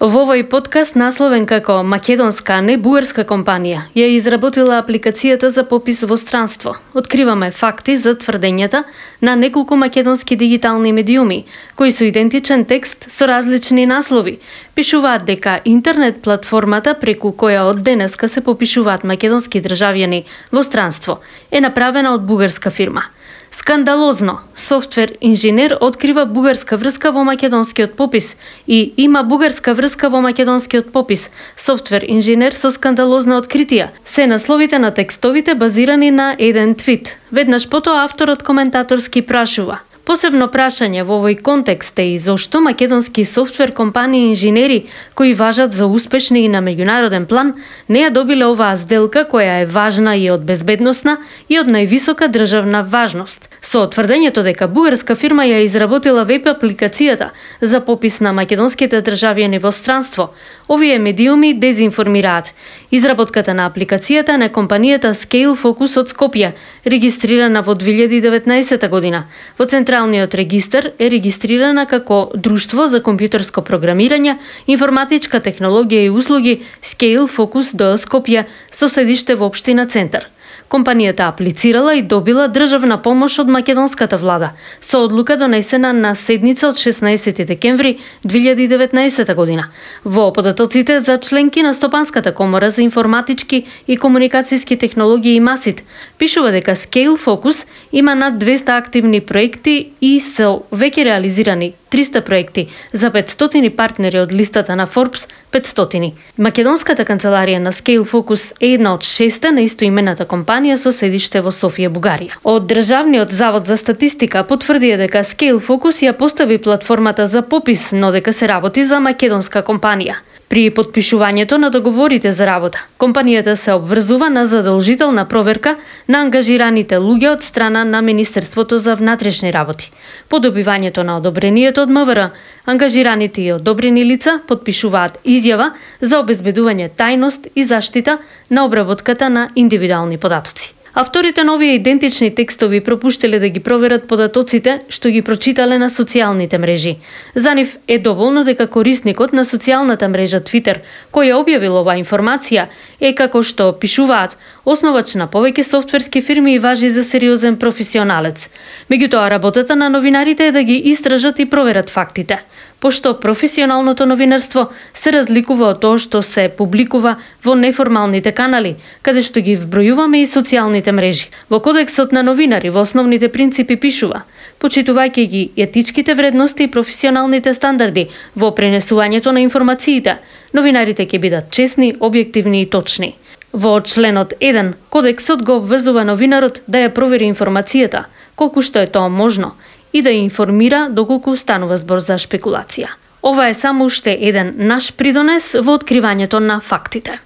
Во овој подкаст, насловен како македонска, а не бугарска компанија, ја изработила апликацијата за попис во странство. Откриваме факти за тврдењата на неколку македонски дигитални медиуми, кои со идентичен текст со различни наслови пишуваат дека интернет платформата преку која од денеска се попишуваат македонски државјани во странство е направена од бугарска фирма. Скандалозно, софтвер инженер открива бугарска врска во македонскиот попис и има бугарска врска во македонскиот попис. Софтвер инженер со скандалозна откритија. Се насловите на текстовите базирани на еден твит. Веднаш потоа авторот коментаторски прашува: посебно прашање во овој контекст е и зошто македонски софтвер компании инженери кои важат за успешни и на меѓународен план не ја добиле оваа сделка која е важна и од безбедносна и од највисока државна важност. Со тврдењето дека бугарска фирма ја изработила веб апликацијата за попис на македонските државјани во странство, овие медиуми дезинформираат. Изработката на апликацијата на компанијата Scale Focus од Скопје, регистрирана во 2019 година. Во Централниот регистар е регистрирана како Друштво за компјутерско програмирање, информатичка технологија и услуги Scale Focus ДО Скопје со седиште во општина Центар. Компанијата аплицирала и добила државна помош од македонската влада со одлука донесена на седница од 16 декември 2019 година. Во податоците за членки на Стопанската комора за информатички и комуникацијски технологии и МАСИТ пишува дека Scale Focus има над 200 активни проекти и со веќе реализирани 300 проекти за 500 партнери од листата на Forbes 500. Македонската канцеларија на Scale Focus е една од 6 на истоимената компанија со седиште во Софија, Бугарија. Од Државниот завод за статистика потврдија дека Scale Focus ја постави платформата за попис, но дека се работи за македонска компанија. При потпишувањето на договорите за работа, компанијата се обврзува на задолжителна проверка на ангажираните луѓе од страна на Министерството за внатрешни работи. По добивањето на одобрението од МВР, ангажираните и одобрени лица потпишуваат изјава за обезбедување тајност и заштита на обработката на индивидуални податоци. Авторите на овие идентични текстови пропуштиле да ги проверат податоците што ги прочитале на социјалните мрежи. За нив е доволно дека корисникот на социјалната мрежа Twitter, кој ја објавил оваа информација, е како што пишуваат основач на повеќе софтверски фирми и важи за сериозен професионалец. Меѓутоа, работата на новинарите е да ги истражат и проверат фактите, пошто професионалното новинарство се разликува од тоа што се публикува во неформалните канали, каде што ги вбројуваме и социјалните мрежи. Во Кодексот на новинари во основните принципи пишува: почитувајќи ги етичките вредности и професионалните стандарди во пренесувањето на информациите, новинарите ќе бидат честни, објективни и точни. Во членот 1, Кодексот го обврзува новинарот да ја провери информацијата, колку што е тоа можно, и да ја информира доколку станува збор за шпекулација. Ова е само уште еден наш придонес во откривањето на фактите.